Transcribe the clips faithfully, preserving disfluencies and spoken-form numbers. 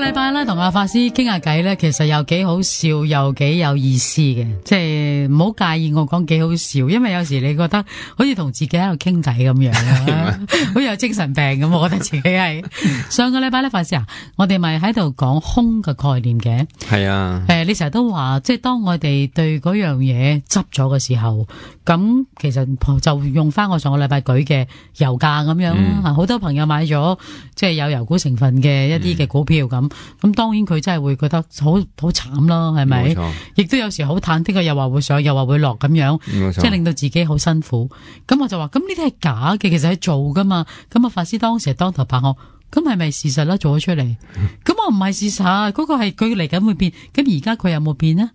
禮拜咧同阿法師傾下偈咧，其實又幾好笑，又幾有意思嘅，即係唔好介意我講幾好笑，因為有時你覺得好似同自己喺度傾偈咁樣啊，好似有精神病咁，我覺得自己係。上個禮拜咧，法師啊，我哋咪喺度講空嘅概念嘅，係啊，誒、呃，你成日都話，即係當我哋對嗰樣嘢執咗嘅時候，咁其實就用翻我上個禮拜舉嘅油價咁樣啦，好、嗯、多朋友買咗即係有油股成分嘅一啲嘅股票咁，咁、嗯、當然佢真係會覺得好好慘咯，係咪？亦都有時好忐忑嘅，又話會上，又話會落咁樣，即係令到自己好辛苦。咁我就話，咁呢啲係假嘅，其實係做噶嘛。咁啊，法師當時係當頭拍我，咁係咪事實啦？做咗出嚟，咁我唔係事實，嗰、嗰個係佢嚟緊會變。咁而家佢有冇變呢？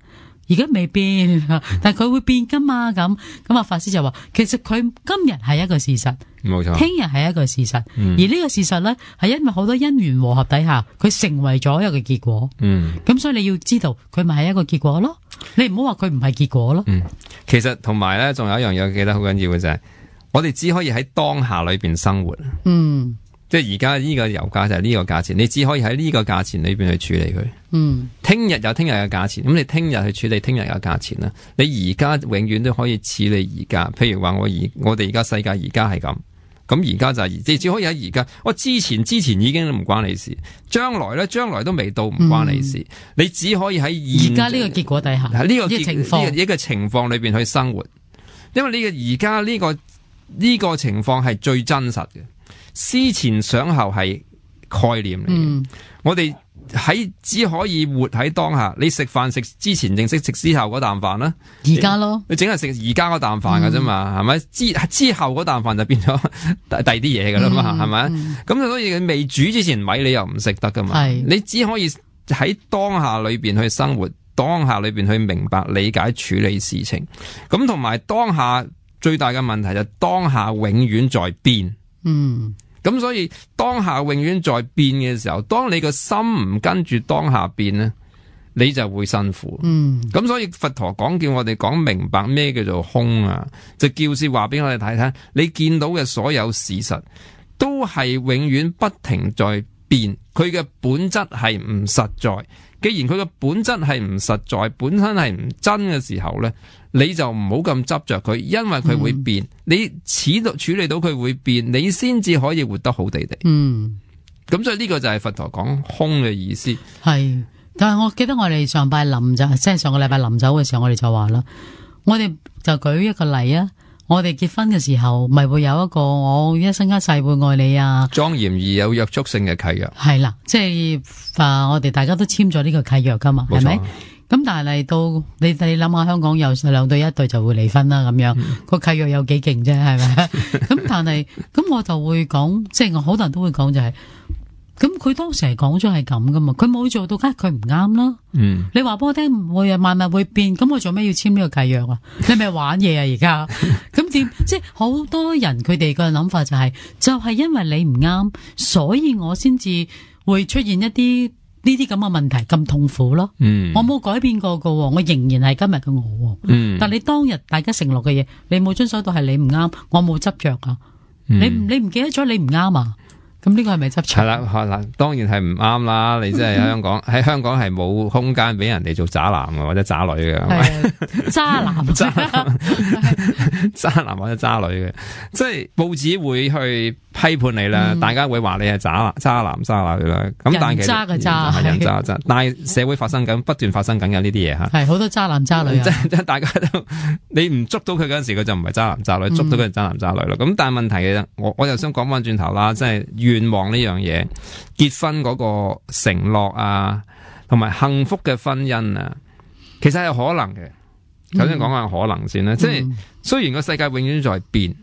而家未變，但係佢會變噶嘛？咁咁啊，法師就話，其實佢今日係一個事實，冇錯，聽日係一個事實，嗯、而呢個事實咧係因為好多因緣和合底下，佢成為咗一個結果。嗯，咁所以你要知道，佢咪係一個結果咯。你唔好話佢唔係結果咯。嗯，其實同埋咧，仲有一樣嘢記得好緊要嘅就係、是，我哋只可以喺當下裏邊生活。嗯。即係而家呢個油價就係呢個價錢，你只可以喺呢個價錢裏邊去處理佢。嗯，聽日有聽日嘅價錢，咁你聽日去處理聽日嘅價錢啦。你而家永遠都可以處理而家。譬如話我而我哋而家世界而家係咁，咁而家就係、是、你只可以喺而家。我之前之前已經唔關你事，將來咧將來都未到，唔關你事。嗯、你只可以喺而家呢個結果底下，喺呢個結情況呢、這個情況裏邊去生活。因為呢個而家呢個呢、這個情況係最真實嘅。思前想後係概念嚟嘅、嗯，我哋喺只可以活喺當下。你食飯食之前定識食之後嗰啖飯啦，而家咯，你淨係食而家嗰啖飯噶啫嘛，係、嗯、咪？之之後嗰啖飯就變咗第二啲嘢噶啦嘛，係咪？咁、嗯、所以你未煮之前米你又唔食得噶嘛，你只可以喺當下裏邊去生活，當下裏邊去明白、理解、處理事情。咁同埋當下最大嘅問題就係當下永遠在變。嗯，咁所以當下永遠在變嘅時候，當你個心唔跟住當下變咧，你就會辛苦。嗯，咁所以佛陀講叫我哋講明白咩叫做空啊，就叫是話俾我哋睇睇，你見到嘅所有事實都係永遠不停在變，佢嘅本質係唔實在。既然佢嘅本質係唔實在，本身係唔真嘅時候咧，你就唔好咁執着佢，因為佢會變。嗯、你始到處理到佢會變，你先至可以活得好地地。嗯，咁所以呢個就係佛陀講空嘅意思。係，但係我記得我哋上拜臨就即係上個禮拜臨走嘅時候，我哋就話啦，我哋就舉一個例啊。我哋結婚嘅時候，咪會有一個我一生一世會愛你啊，莊嚴而有約束性嘅契約。係啦，即係啊，我哋大家都簽咗呢個契約噶嘛，係咪？咁但係嚟到你你諗下，香港有兩對一對就會離婚啦，咁樣個、嗯、契約有幾勁啫，係咪？咁但係咁我就會講，即係我好多人都會講就係、是。咁佢當時係講咗係咁噶嘛，佢冇做到，梗係佢唔啱啦。嗯，你話俾我聽唔會啊，萬物會變，咁我做咩要簽呢個契約啊？你咪玩嘢啊而家？咁點？即係好多人佢哋個諗法就係、是，就係、是、因為你唔啱，所以我先至會出現一啲呢啲咁嘅問題，咁痛苦咯。嗯，我冇改變過噶，我仍然係今日嘅我。嗯，但你當日大家承諾嘅嘢，你冇遵守到，係你唔啱，我冇執着啊。嗯、你你唔記得咗你唔啱啊？咁呢個係咪執錯？係啦，嗱，當然係唔啱啦！你真係喺香港，喺、嗯、香港係冇空間俾人哋做渣男或者渣女嘅，係渣男、渣男、渣男或者渣女嘅，即係報紙會去批判你啦、嗯，大家會話你係渣男、渣男、渣女啦。咁但係其實人渣嘅渣係人渣渣，但係社會發生緊，不斷發生緊嘅呢啲嘢吓，係好多渣男渣女啊！即係大家都你唔捉到佢嗰陣時，佢就唔係渣男渣女；捉到佢就渣男渣女啦。咁、嗯、但係問題嘅，我我又想講翻轉頭啦，即係。願望呢樣嘢，結婚嗰個承諾啊，同埋幸福嘅婚姻啊，其實係可能嘅。首先講下可能先啦、嗯，即係雖然個世界永遠在變，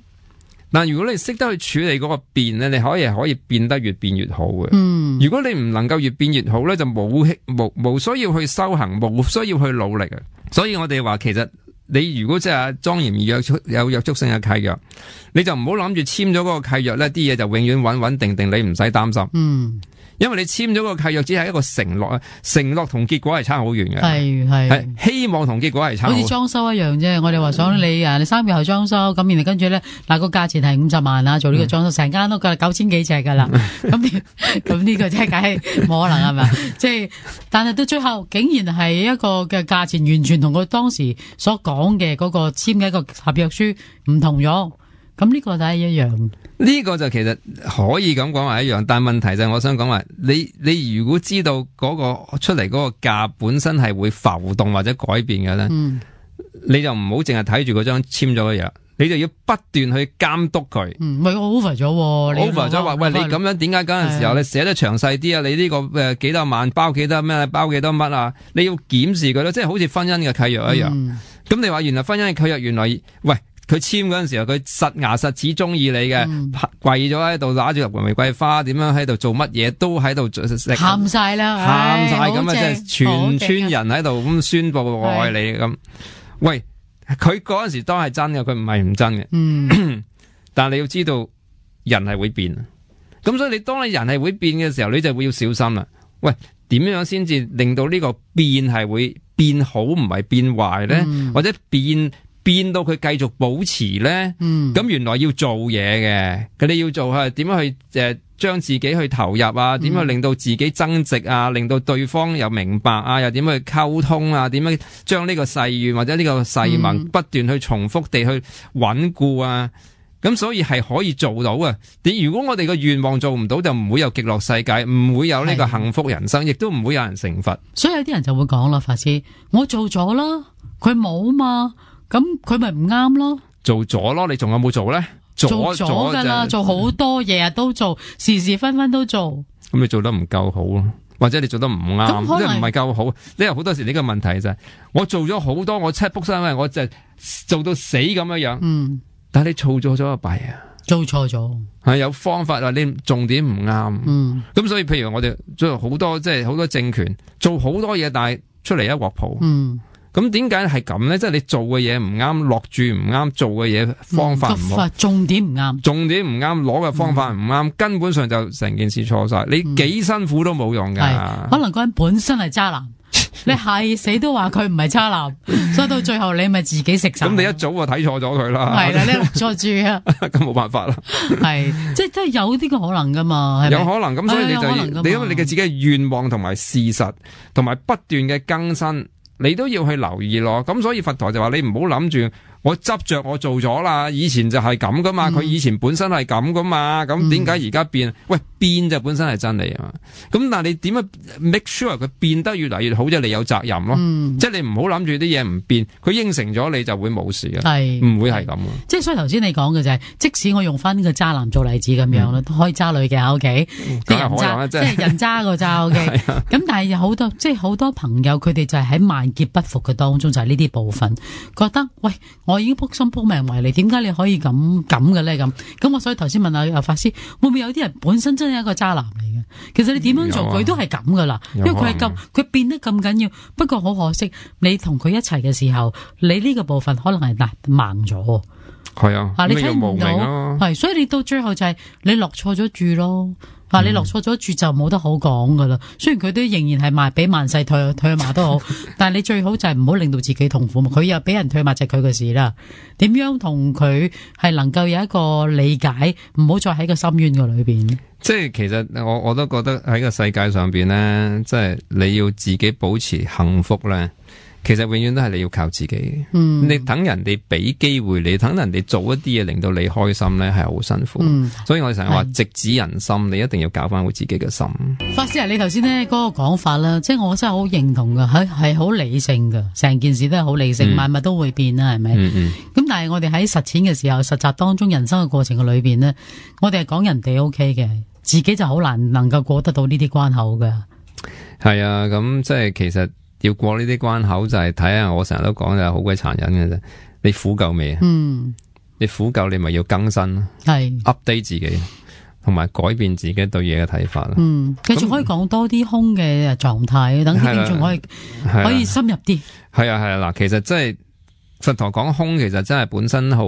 但如果你識得去處理嗰個變咧，你可以可以變得越變越好嘅。嗯，如果你唔能夠越變越好咧，就冇冇冇需要去修行，冇需要去努力啊。所以我哋話其實。你如果即係莊嚴而約束有約束性嘅契約，你就唔好諗住簽咗嗰個契約咧，啲嘢就永遠穩穩定定，你唔使擔心。嗯，因為你簽咗個契約只係一個承諾啊，承諾同結果係差好遠嘅。係係希望同結果係差好遠。好似裝修一樣啫，我哋話想你啊，你三個月後裝修，咁然後跟住咧，嗱個價錢係五十萬啊，做呢個裝修，成間屋噶九千幾尺噶啦，咁咁呢個真係梗係冇可能係咪？即係，但係到最後竟然係一個嘅價錢完全同佢當時所講嘅嗰個簽嘅一個合約書唔同咗，咁呢個都係一樣。呢個就其實可以咁講話一樣，但係問題就係我想講話，你你如果知道嗰個出嚟嗰個價本身係會浮動或者改變嘅咧，嗯、你就唔好淨係睇住嗰張簽咗嘅嘢，你就要不斷去監督佢。唔係我 over 咗，over 咗話喂，你咁樣點解嗰陣時候你寫得詳細啲啊？你呢個誒幾多萬包幾多咩？包幾多乜啊？你要檢視佢咯，即係好似婚姻嘅契約一樣。咁、嗯、你話原來婚姻嘅契約原來喂。佢簽嗰陣時候，佢實牙實齒中意你嘅，嗯、跪咗喺度，拿住粒玫瑰花，點樣喺度做乜嘢，都喺度喊晒啦，喊晒咁啊！即係全村人喺度咁宣布我愛你咁。喂，佢嗰陣時當係真嘅，佢唔係唔真嘅。嗯、但係你要知道，人係會變。咁所以你當你人係會變嘅時候，你就會要小心啦。喂，點樣先至令到呢個變係會變好，唔係變壞咧？嗯、或者變？變到佢繼續保持咧，咁、嗯、原來要做嘢嘅，佢哋要做係點樣去誒將、呃、自己去投入啊？點樣令到自己增值啊？令到對方又明白啊？又點樣去溝通啊？點樣將呢個誓願或者呢個誓盟不斷去重複地去穩固啊？咁所以係可以做到啊！你如果我哋個願望做唔到，就唔會有極樂世界，唔會有呢個幸福人生，亦都唔會有人成佛。所以有啲人就會講啦，法師，我做咗啦，佢冇嘛。咁佢咪唔啱咯？做咗咯，你仲有冇做咧？做咗噶啦，做好多嘢啊，都做，時時分分都做。咁你做得唔夠好咯，或者你做得唔啱，即係唔係夠好？你有好多時呢個問題就係、是，我做咗好多，我七卜三嘅，我就做到死咁樣樣。嗯，但係你做錯咗個弊啊，做錯咗係有方法啊，你重點唔啱。嗯，咁所以譬如我哋做好多即係好多政權做好多嘢，但係出嚟一鑊泡。嗯。咁點解係咁咧？即係你做嘅嘢唔啱，落注唔啱，做嘅嘢方法唔好，重點唔啱，重點唔啱，攞嘅方法唔啱，嗯、根本上就成件事錯晒。你幾辛苦都冇用噶、嗯。可能嗰人本身係渣男，你係死都話佢唔係渣男，所以到最後你咪自己食晒。咁你一早就睇錯咗佢啦。係啦，你落錯注啊。咁冇辦法啦。係，即係即係有啲嘅可能噶嘛。係咪有可能咁，所以你就你因為你嘅自己嘅願望同埋事實，同埋不斷嘅更新。你都要去留意咯，咁所以佛陀就話你唔好諗住我執着我做咗啦，以前就係咁噶嘛，佢、嗯、以前本身係咁噶嘛，咁點解而家變？喂，變就本身係真理啊嘛，咁但係你點樣 make sure 佢變得越嚟越好，即係你有責任咯，嗯、即係你唔好諗住啲嘢唔變，佢應承咗你就會冇事嘅，係唔會係咁。即係所以頭先你講嘅就係、是，即使我用翻呢個渣男做例子咁樣啦，都、嗯、可以渣女嘅 OK，即係人渣，即係人渣個渣 OK，咁但係有好多即係好多朋友佢哋就係喺萬劫不復嘅當中就係呢啲部分，覺得喂。我已經撲心撲命為你，點解你可以咁咁嘅咧？咁咁我所以頭先問下阿法師，會唔會有啲人本身真係一個渣男嚟嘅？其實你點樣做佢、啊、都係咁噶啦，因為佢係咁，佢變得咁緊要。不過好可惜，你同佢一齊嘅時候，你呢個部分可能係嗱盲咗。係啊，啊你睇唔到，係所以你到最後就係你落錯咗注咯。啊！你落錯咗注就冇得好講噶啦。雖然佢都仍然係賣俾萬世退退馬都好，但係你最好就係唔好令到自己痛苦。佢又俾人退馬就係佢嘅事啦。點樣同佢係能夠有一個理解，唔好再喺個深淵嘅裏邊。即係其實我我都覺得喺個世界上邊咧，即係你要自己保持幸福咧。其實永遠都係你要靠自己，嗯、你等人哋俾機會你，等人哋做一啲嘢令到你開心咧，係好辛苦。嗯、所以我哋成日話直指人心，你一定要搞翻好自己嘅心。法師啊，你頭先咧嗰個講法啦，即係我真係好認同噶，係係好理性噶，成件事都係好理性，萬物、嗯、都會變啦，係咪？咁、嗯嗯、但係我哋喺實踐嘅時候，實習當中人生嘅過程嘅裏邊呢，我哋係講人哋 O K 嘅，自己就好難能夠過得到呢啲關口噶。係啊，咁即係其實。要過呢啲關口就係睇下，我成日都講就係好鬼殘忍嘅啫。你苦夠未啊？嗯，你苦夠你咪要更新咯，係 update 自己，同埋改變自己對嘢嘅睇法啦。嗯，繼續可以講多啲空嘅狀態，等啲聽眾可以可以深入啲。係啊係啊，嗱，其實即係佛陀講空其實真係本身好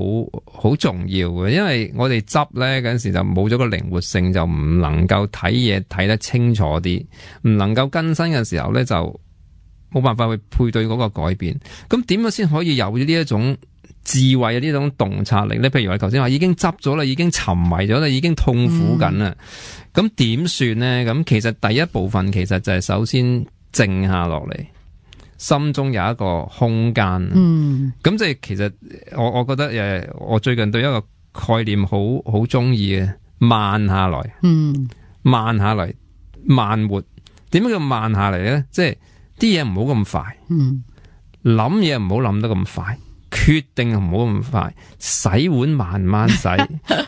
好重要嘅，因為我哋執咧嗰陣時就冇咗個靈活性，就唔能夠睇嘢睇得清楚啲，唔能夠更新嘅時候咧就冇辦法去配對嗰個改變。咁點樣先可以有咗呢一種智慧啊，呢種洞察力咧？譬如話頭先話已經執咗啦，已經沉迷咗啦，已經痛苦緊啦，咁點算咧？咁其實第一部分其實就係首先靜下落嚟。心中有一個空間，嗯，咁即係其實我我覺得誒，我最近對一個概念好好中意嘅，慢下來，嗯，慢下嚟，慢活。點解叫慢下嚟咧？即係啲嘢唔好咁快，嗯，諗嘢唔好諗得咁快，決定唔好咁快，洗碗慢慢洗，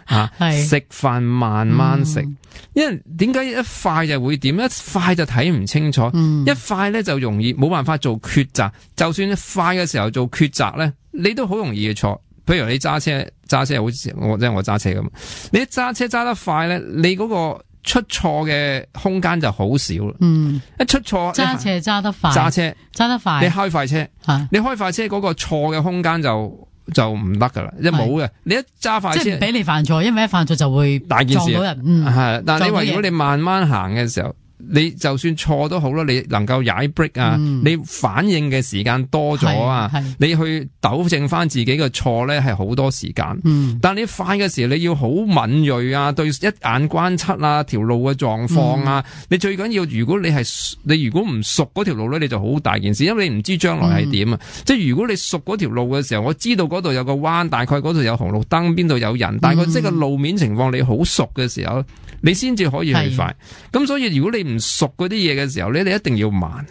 啊，食飯慢慢食。嗯，因為點解一快就會點？一快就睇唔清楚，嗯，一快咧就容易冇辦法做抉擇。就算你快嘅時候做抉擇咧，你都好容易嘅錯。譬如你揸車，揸車好似我即係我揸車咁，你一揸車揸得快咧，你嗰個出錯嘅空間就好少啦。嗯，一出錯揸車揸得快，揸車揸得快，你開快車，啊，你開快車嗰個錯嘅空間就就唔得噶啦，一冇嘅。你一揸快車，即係唔俾你犯錯，因為一犯錯就會大件事撞到人。嗯，係，但係你話如果你慢慢行嘅時候，你就算錯都好啦，你能夠踩 brake 啊，嗯，你反應嘅時間多咗啊，你去糾正翻自己嘅錯咧，係好多時間。嗯，但係你快嘅時候，你要好敏銳啊，對一眼關七啊，條路嘅狀況啊，嗯，你最緊要，如果你係你如果唔熟嗰條路咧，你就好大件事，因為你唔知將來係點啊。嗯，即係如果你熟嗰條路嘅時候，我知道嗰度有個彎，大概嗰度有紅綠燈，邊度有人，大概即係個路面情況你好熟嘅時候，你先至可以去快。咁所以如果你唔熟嗰啲嘢嘅時候咧，你一定要慢。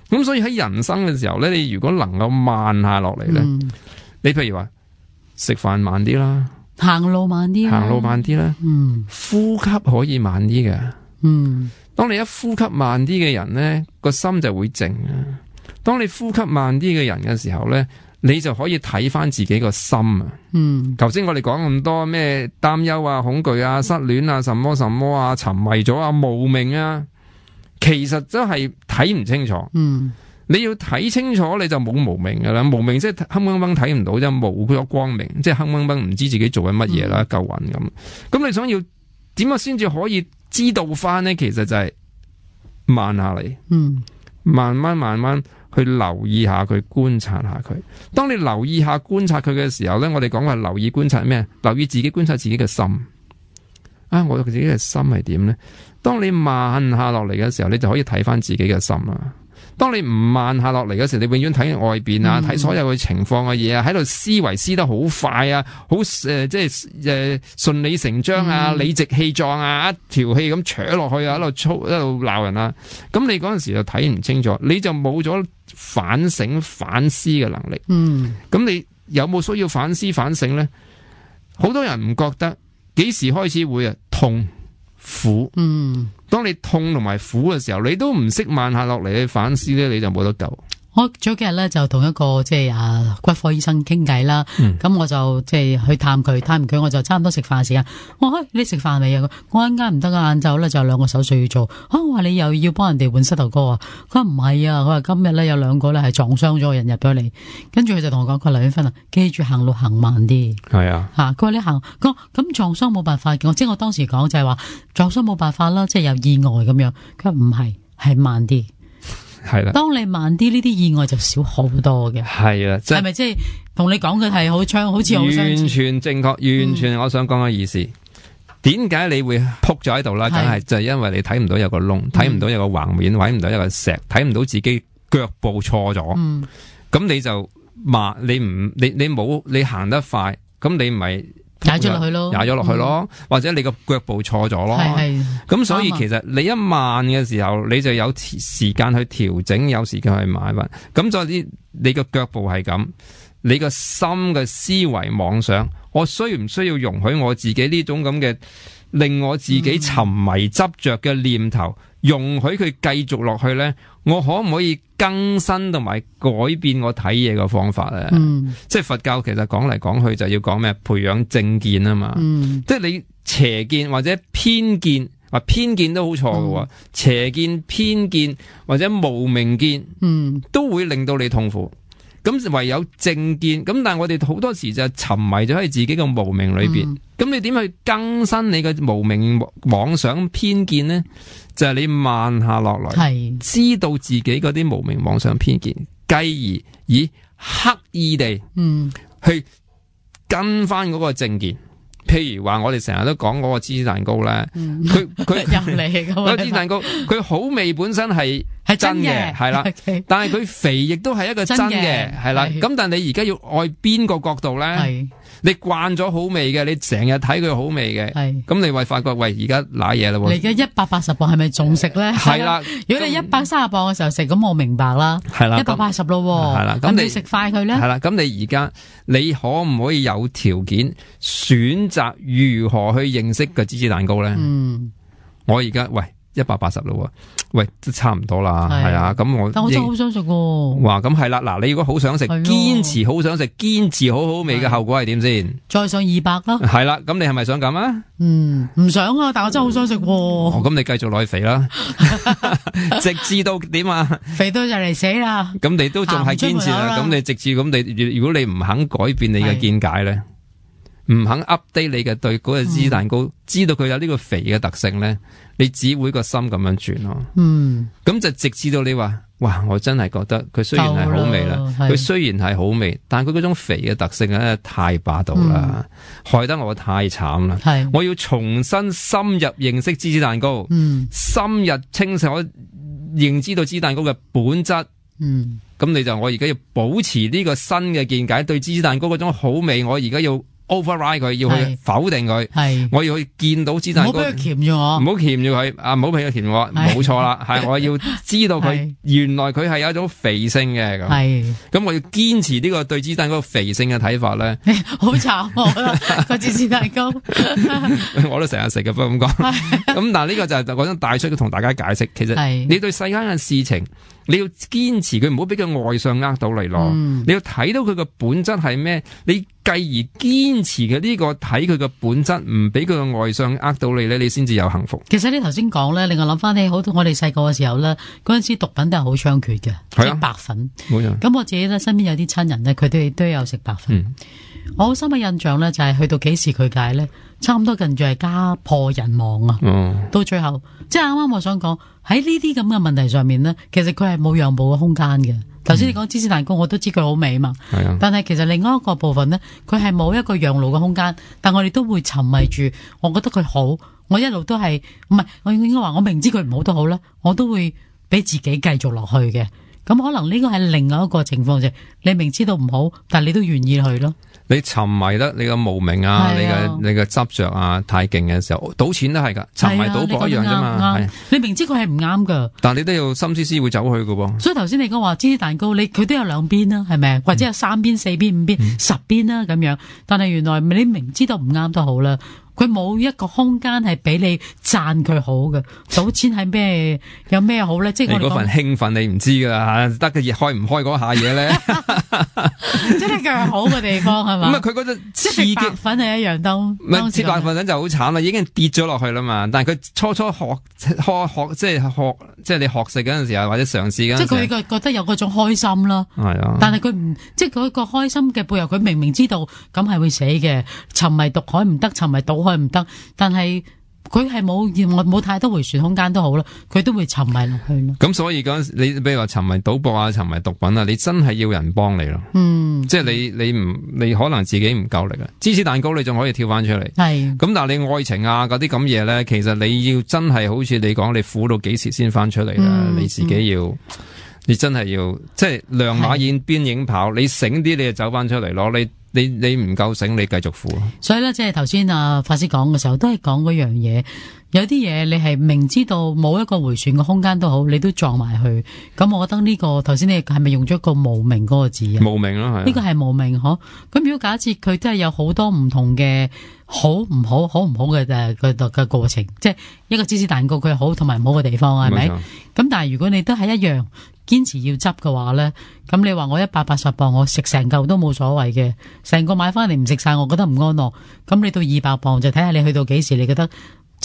咁所以喺人生嘅時候咧，你如果能夠慢下落嚟咧，嗯，你譬如話食飯慢啲啦，行路慢啲，行路慢啲啦，嗯，呼吸可以慢啲嘅，嗯，當你一呼吸慢啲嘅人咧，個心就會靜啊。當你呼吸慢啲嘅人嘅時候咧，你就可以睇翻自己個心啊。嗯，頭先我哋講咁多咩擔憂啊、恐懼啊、失戀啊、什麼什麼啊、沉迷咗啊、無明啊，其實真係睇唔清楚。嗯，你要睇清楚，你就冇無明噶啦。無明即係黑掹掹睇唔到，就冇咗光明，即係黑掹掹唔知自己做緊乜嘢啦，夠暈咁。咁你想要點樣先至可以知道翻呢？其實就係慢下嚟，嗯，慢慢慢慢去留意下佢，觀察下佢。當你留意下觀察佢嘅時候咧，我哋講話留意觀察咩？留意自己觀察自己嘅心。啊，我自己嘅心係點咧？當你慢下落嚟嘅時候，你就可以睇翻自己嘅心啦。當你唔慢下落嚟嘅時候，你永遠睇外邊啊，睇、嗯、所有嘅情況嘅嘢啊，喺度思維思得好快啊，好誒、呃，即係誒順理成章啊，嗯、理直氣壯啊，一條氣咁扯落去啊，喺度操，喺度鬧人啊。咁你嗰陣時就睇唔清楚，你就冇咗反省反思嘅能力。嗯，咁你有冇需要反思反省咧？好多人唔覺得，幾時開始會啊痛苦？嗯。當你痛同埋苦嘅時候，你都唔識慢下落嚟去反思咧，你就冇得救。我早幾日咧就同一個即係啊骨科醫生傾偈啦，咁、嗯、我就即係去探佢，探完佢我就差唔多食飯時間。我話你食飯未啊？我一陣間唔得啊，晏晝咧就有兩個手術要做。啊，我話你又要幫人哋換膝頭哥啊？佢話唔係啊，佢話今日咧有兩個咧係撞傷咗人入咗嚟，跟住佢就同我講，佢劉婉芬啊，記住行路行慢啲。係啊，吓佢話你行，佢咁撞傷冇辦法嘅，即係我當時講就係話撞傷冇辦法啦，即係有意外咁樣。佢話唔係，係慢啲。係啦，當你慢啲，呢啲意外就少好多嘅。係啦，係咪即係同你講嘅係好槍，好似好完全正確，完全我想講嘅意思。點解、嗯、你會撲咗喺度啦？梗係就係因為你睇唔到有個窿，睇唔到有個橫面，睇唔到有個石，睇唔到自己腳步錯咗。咁、嗯、你就慢，你唔你你冇你行得快，咁你咪踩咗落去咯，踩咗落去咯，嗯、或者你個腳步錯咗咯。係係，咁所以其實你一慢嘅時候，你就有時間去調整，有時間去買運。咁所以你個腳步係咁，你個心嘅思維妄想，我需唔需要容許我自己呢種咁嘅令我自己沉迷執着嘅念頭，嗯、容許佢繼續落去咧？我可唔可以更新同埋改變我睇嘢嘅方法咧？嗯、即係佛教其實講嚟講去就要講咩？培養正見啊嘛。嗯、即係你邪見或者偏見，或偏見都好錯嘅。嗯、邪見、偏見或者無明見，嗯、都會令到你痛苦。咁唯有正見，咁但係我哋好多時就沉迷咗喺自己嘅無明裏邊，咁、嗯、你點去更新你嘅無明妄想偏見呢？就係、是、你慢下落來，知道自己嗰啲無明妄想偏見，繼而以刻意地嗯去跟翻嗰個正見。譬如話我哋成日都講嗰個芝士蛋糕咧，佢佢入嚟嗰個芝士蛋糕，佢好味本身係係真嘅，係啦，但係佢肥亦都係一個真嘅，係啦。咁但係你而家要愛邊個角度咧？你慣咗好味嘅，你成日睇佢好味嘅，咁你會發覺喂，而家瀨嘢啦喎！你而家一百八十磅係咪仲食咧？係啦，如果你一百三十磅嘅時候食，咁我明白啦。係啦，一百八十咯，係啦，咁你食快佢咧？係啦，咁你而家你可唔可以有條件選擇如何去認識個芝士蛋糕咧？嗯，我而家喂。一百八十咯，喂，都差唔多啦，係啊，咁我，但我真係好想食喎。哇，咁係啦，嗱，你如果好想食，堅持好想食，堅持好好味嘅後果係點先？再上二百咯。係啦，咁你係咪想咁啊？嗯，唔想啊，但我真係好想食。哦，咁你繼續落去肥啦，直至到點啊？肥到就嚟死啦！咁你都仲係堅持啦，咁你直至咁你，如果你唔肯改變你嘅見解咧？唔肯 update 你嘅對嗰個芝士蛋糕，嗯、知道佢有呢個肥嘅特性咧，你只會個心咁樣轉咯。嗯，咁就直至到你話，哇！我真係覺得佢雖然係好味啦，佢雖然係好味，但係佢嗰種肥嘅特性咧太霸道啦，嗯、害得我太慘啦。係，我要重新深入認識芝士蛋糕，嗯，深入清晰我認知到芝士蛋糕嘅本質。嗯，咁你就我而家要保持呢個新嘅見解，對芝士蛋糕嗰種好味，我而家要override 佢，要去否定佢，係我要去見到芝士蛋糕，唔好俾佢鉗住我，唔好鉗住佢，啊唔好俾佢鉗我，冇錯啦，係我要知道佢原來佢係有一種肥性嘅，咁，係咁我要堅持呢個對芝士蛋糕肥性嘅睇法咧，好慘個芝士蛋糕，我都成日食嘅，不過咁講，咁但係呢個就係講緊帶出同大家解釋，其實你對世間嘅事情。你要堅持佢，唔好俾佢外相呃到你咯。嗯、你要睇到佢個本質係咩？你繼而堅持嘅呢個睇佢個本質，唔俾佢個外相呃到你咧，你先至有幸福。其實你頭先講咧，令我諗翻起好多我哋細個嘅時候咧，嗰陣時毒品都係好猖獗嘅，即係白粉。冇錯。咁我自己咧身邊有啲親人咧，佢哋都有食白粉。嗯、我好深嘅印象咧，就係去到幾時佢戒咧，差唔多近住係家破人亡啊。嗯、到最後，即係啱啱我想講。喺呢啲咁嘅問題上面呢，其實佢係冇讓步嘅空間嘅。頭先你講芝士蛋糕，我都知佢好味嘛。嗯、但係其實另外一個部分呢，佢係冇一個讓路嘅空間。但我哋都會沉迷住，我覺得佢好，我一路都係唔係，我應該話我明知佢唔好都好啦，我都會俾自己繼續落去嘅。咁可能呢個係另外一個情況，就係你明知道唔好，但係你都願意去咯。你沉迷得你個無明啊，你嘅你嘅執着啊太勁嘅時候，賭錢都係噶，沉迷賭博一樣啫嘛。係你明知佢係唔啱噶，但係你都要心思思會走去噶喎。所以頭先你講話芝士蛋糕，你佢都有兩邊啦，係咪？或者有三邊、四邊、五邊、嗯、十邊啦咁樣。但係原來你明知道唔啱都好啦。佢冇一個空間係俾你讚佢好嘅，賭錢係咩？有咩好咧？即係我哋嗰份興奮你唔知噶吓，得嘅開唔開嗰下嘢咧？即係佢係好嘅地方係嘛？咁啊，佢嗰隻刺激白粉係一樣都唔係切白粉就好慘啦，已經跌咗落去啦嘛。但係佢初初學學學即係學即係你學食嗰陣時候或者嘗試嗰陣時，即係佢覺得有嗰種開心啦。係啊，但係佢唔即係佢個開心嘅背後，佢明明知道咁係會死嘅，沉迷毒海唔得，沉迷賭海唔得，但係佢係冇冇太多回旋空間都好啦，佢都會沉迷落去咯。咁所以嗰陣你比如話沉迷賭博啊，沉迷毒品啊，你真係要人幫你咯。嗯，即係你你唔你可能自己唔夠力啊。芝士蛋糕你仲可以跳翻出嚟，係咁，但係你愛情啊嗰啲咁嘢咧，其實你要真係好似你講，你苦到幾時先翻出嚟啦？嗯、你自己要，嗯、你真係要即係亮馬燕邊影跑，你醒啲你就走翻出嚟咯，你。你你唔夠醒，你繼續苦。所以咧，即係頭先啊法師講嘅時候，都係講嗰樣嘢。有啲嘢你係明知道冇一個回旋嘅空間都好，你都撞埋去。咁我覺得呢、這個頭先你係咪用咗個無明嗰個字啊？無明咯，係。呢個係無明嗬。咁如果假設佢真係有好多唔同嘅好唔好、好唔好嘅誒嘅嘅過程，即係一個芝士蛋糕佢好同埋唔好嘅地方係咪？咁錯但係如果你都係一樣。堅持要執嘅話咧，咁你話我一百八十磅，我食成嚿都冇所謂嘅，成個買翻嚟唔食晒，我覺得唔安樂。咁你到二百磅就睇下你去到幾時，你覺得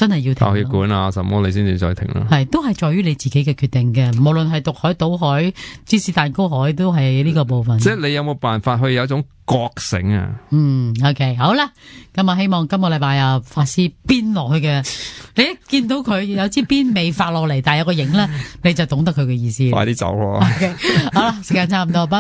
真係要停。爆血管啊，什麼你先至再停啦。係都係在於你自己嘅決定嘅，無論係毒海、賭海、芝士蛋糕海，都係呢個部分。即係你有冇辦法去有一種覺醒啊？嗯 ，OK， 好啦，咁啊，希望今個禮拜啊，法師鞭落去嘅，你一見到佢有支鞭未發落嚟，但係有個影咧，你就懂得佢嘅意思。快啲走咯！ OK， 好啦，時間差唔多，拜。